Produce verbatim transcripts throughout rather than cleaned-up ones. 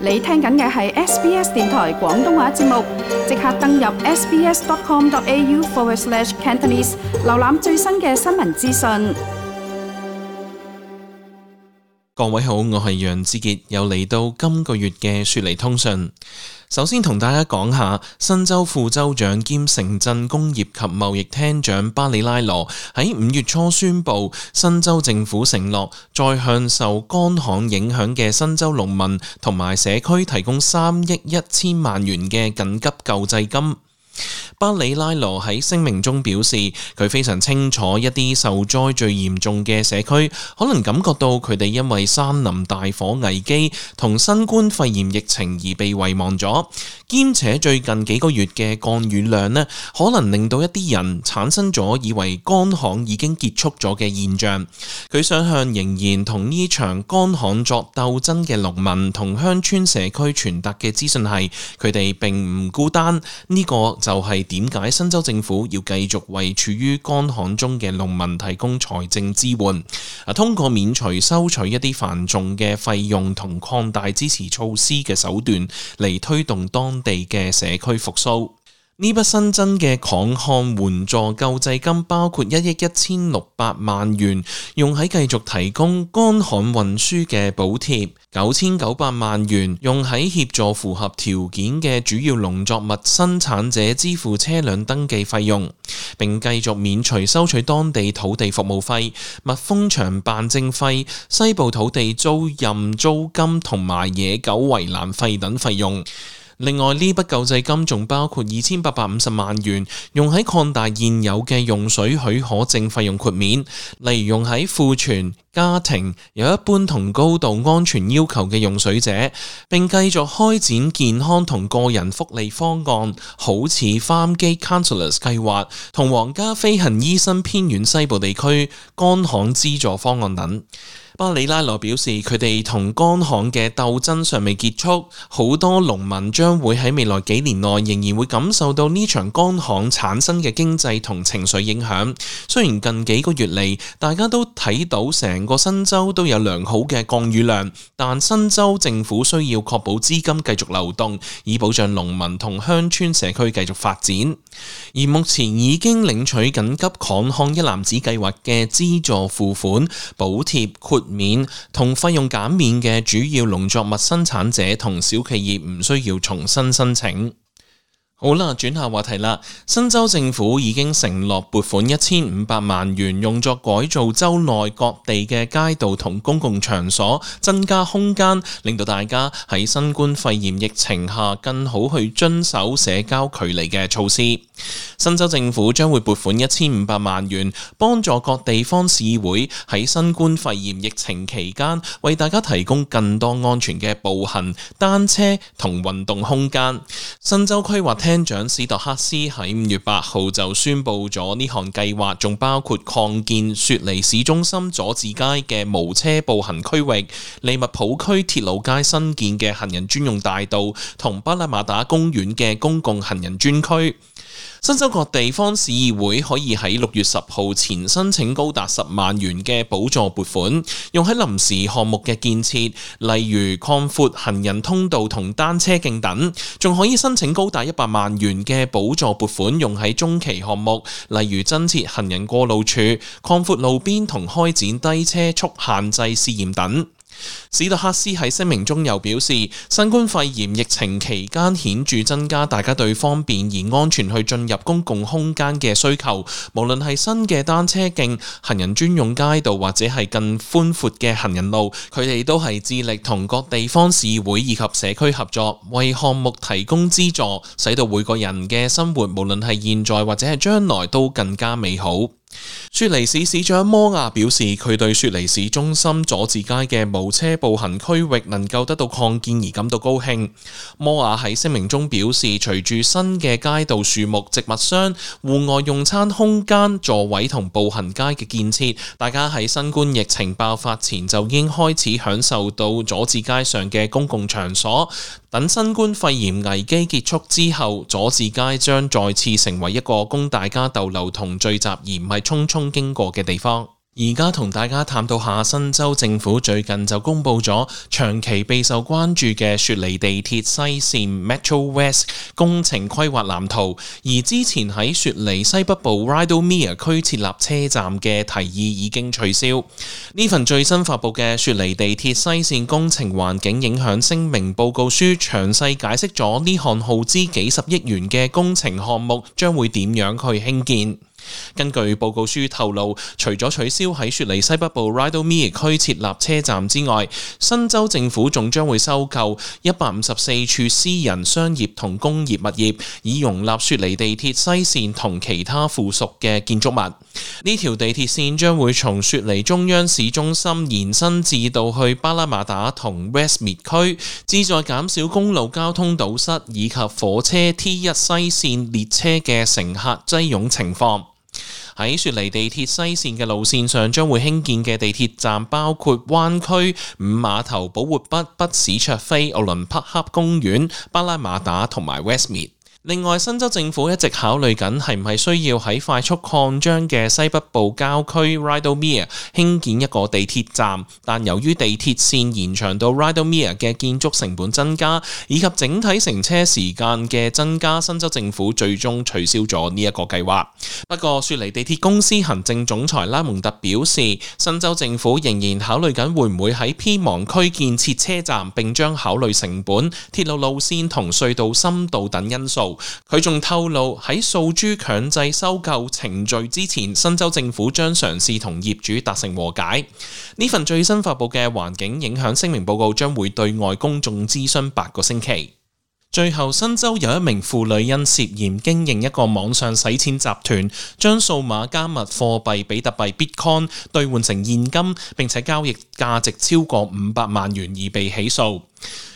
你聽緊嘅係 S B S 電台廣東話節目，即刻登入 sbs.com.au forward slash Cantonese， 瀏覽最新嘅新聞資訊。各位好，我係楊志傑，又嚟到今個月嘅雪梨通訊。首先同大家講下，新州副州長兼城鎮工業及貿易廳長巴里拉羅喺五月初宣布，新州政府承諾再向受乾旱影響嘅新州農民同埋社區提供三億一千萬元嘅緊急救濟金。巴里拉羅喺聲明中表示，佢非常清楚一啲受災最嚴重嘅社區可能感覺到佢哋因為山林大火危機同新冠肺炎疫情而被遺忘咗，兼且最近幾個月嘅降雨量呢，可能令到一啲人產生咗以為乾旱已經結束咗嘅現象。佢想向仍然同呢場乾旱作鬥爭嘅農民同鄉村社區傳達嘅資訊係，佢哋並唔孤單。呢、這個就係點解新州政府要繼續為處於乾旱中嘅農民提供財政支援，啊，通過免除收取一啲繁重嘅費用同擴大支持措施嘅手段嚟推動當地嘅社區復甦。呢筆新增嘅抗旱援助救濟金包括一億一千六百萬元用喺繼續提供乾旱運輸嘅補貼，九千九百萬元用喺協助符合條件嘅主要農作物生產者支付車輛登記費用，並繼續免除收取當地土地服務費、蜜蜂場辦證費、西部土地租賃租金同埋野狗圍欄費等費用。另外，呢筆救濟金仲包括二千八百五十萬元用喺擴大現有嘅用水許可證費用豁免，例如用喺庫存、家庭有一般同高度安全要求嘅用水者，並繼續開展健康同個人福利方案，好似 Farmgate Counsellors 計劃同皇家飛行醫生偏遠西部地區乾旱資助方案等。巴里拉羅表示，佢哋同乾旱嘅鬥爭尚未結束，好多農民將會喺未來幾年內仍然會感受到呢場乾旱產生嘅經濟同情緒影響。雖然近幾個月嚟，大家都睇到成個新州都有良好嘅降雨量，但新州政府需要確保資金繼續流動，以保障農民同鄉村社區繼續發展。而目前已經領取緊急抗旱一籃子計劃嘅資助付款、補貼、豁免同費用減免嘅主要農作物生產者同小企業唔需要重新申請。好啦，轉下話題啦。新州政府已經承諾撥款一千五百萬元用作改造州內各地嘅街道同公共場所，增加空間，令到大家喺新冠肺炎疫情下更好去遵守社交距離嘅措施。新州政府將會撥款一千五百萬元，幫助各地方市議會喺新冠肺炎疫情期間為大家提供更多安全嘅步行、單車同運動空間。新州規劃廳長史特克斯喺五月八號就宣布咗呢項計劃，仲包括擴建雪梨市中心佐治街嘅無車步行區域、利物浦區鐵路街新建嘅行人專用大道同巴拉馬打公園嘅公共行人專區。新州各地方市議會可以喺六月十號前申請高達十萬元嘅補助撥款，用喺臨時項目嘅建設，例如擴闊行人通道同單車徑等，仲可以申請高達一百萬元嘅補助撥款，用喺中期項目，例如增設行人過路處、擴闊路邊同開展低車速限制試驗等。史特克斯喺聲明中又表示，新冠肺炎疫情期間顯著增加大家對方便而安全去進入公共空間嘅需求，無論係新嘅單車徑、行人專用街道或者係更寬闊嘅行人路，佢哋都係致力同各地方市會以及社區合作，為項目提供資助，使到每個人嘅生活無論係現在或者係將來都更加美好。雪梨市市長摩亞表示，佢對雪梨市中心佐治街嘅無車步行區域能夠得到擴建而感到高興。摩亞喺聲明中表示，隨住新嘅街道樹木、植物箱、戶外用餐空間、座位同步行街嘅建設，大家喺新冠疫情爆發前就已經開始享受到佐治街上嘅公共場所。等新冠肺炎危機結束之後，佐治街將再次成為一個供大家逗留同聚集，而唔係匆匆經過嘅地方。而家同大家探討下新州政府最近就公布咗長期備受關注嘅雪梨地鐵西線 Metro West 工程規劃藍圖，而之前喺雪梨西北部 Rydalmere 區設立車站嘅提議已經取消。呢份最新發佈嘅雪梨地鐵西線工程環境影響聲明報告書詳細解釋咗呢項耗資幾十億元嘅工程項目將會點樣去興建。根據報告書透露，除咗取消喺雪梨西北部 Rydalmere 區設立車站之外，新州政府仲將會收購一百五十四處私人商業同工業物業，以容納雪梨地鐵西線同其他附屬嘅建築物。呢條地鐵線將會從雪梨中央市中心延伸至到去巴拉馬打同 Westmead 區，旨在減少公路交通堵塞以及火車 T 一 西線列車嘅乘客擠擁情況。喺雪梨地鐵西線嘅路線上將會興建嘅地鐵站包括灣區、五碼頭、寶活北、北史卓菲、奧倫匹克公園、巴拉馬打同埋 Westmead。另外，新州政府一直考慮緊係唔係需要喺快速擴張嘅西北部郊區 Rydalmere 興建一個地鐵站，但由於地鐵線延長到 Rydalmere 嘅建築成本增加，以及整體乘車時間嘅增加，新州政府最終取消咗呢一個計劃。不過，雪梨地鐵公司行政總裁拉蒙特表示，新州政府仍然考慮緊會唔會喺偏忙區建設車站，並將考慮成本、鐵路路線同隧道深度等因素。佢仲透露喺訴諸強制收購程序之前，新州政府將嘗試同業主達成和解。呢份最新發佈嘅環境影響聲明報告將會對外公眾諮詢八個星期。最後，新州有一名婦女因涉嫌經營一個網上洗錢集團，將數碼加密貨幣比特幣 Bitcoin 兌換成現金，並且交易價值超過五百萬元而被起訴。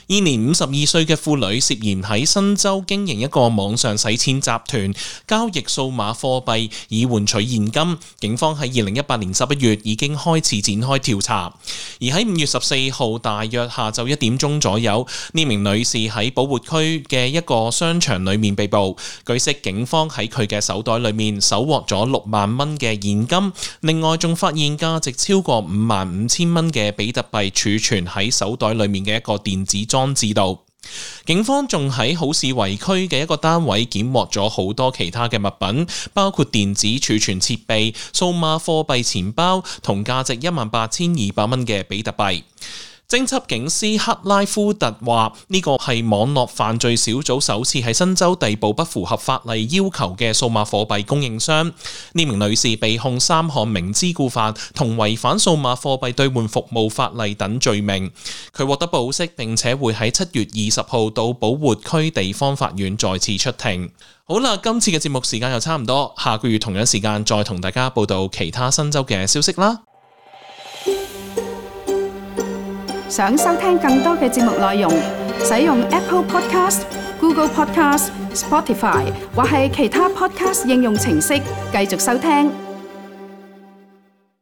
現年五十二歲嘅婦女涉嫌喺新州經營一個網上洗錢集團，交易數碼貨幣以換取現金。警方喺二零一八年十一月已經開始展開調查，而喺五月十四號大約下晝一點鐘左右，呢名女士喺寶活區嘅一個商場裏面被捕。據悉，警方喺佢嘅手袋裏面搜獲咗六萬蚊嘅現金，另外仲發現價值超過五萬五千蚊嘅比特幣儲存喺手袋裏面嘅一個電子裝裝置度。警方仲喺好市圍區嘅一個單位檢獲咗好多其他嘅物品，包括電子儲存設備、數碼貨幣錢包同價值一萬八千二百蚊嘅比特幣。偵緝警司克拉夫特話：呢個係網絡犯罪小組首次喺新州逮捕不符合法例要求嘅數碼貨幣供應商。呢名女士被控三項明知故犯同違反數碼貨幣兌換服務法例等罪名。佢獲得保釋，並且會喺七月二十號到寶活區地方法院再次出庭。好啦，今次嘅節目時間又差唔多，下個月同樣時間再同大家報道其他新州嘅消息啦。想收聽更多嘅節目內容，使用 Apple Podcast、Google Podcast、Spotify 或係其他 Podcast 應用程式繼續收聽。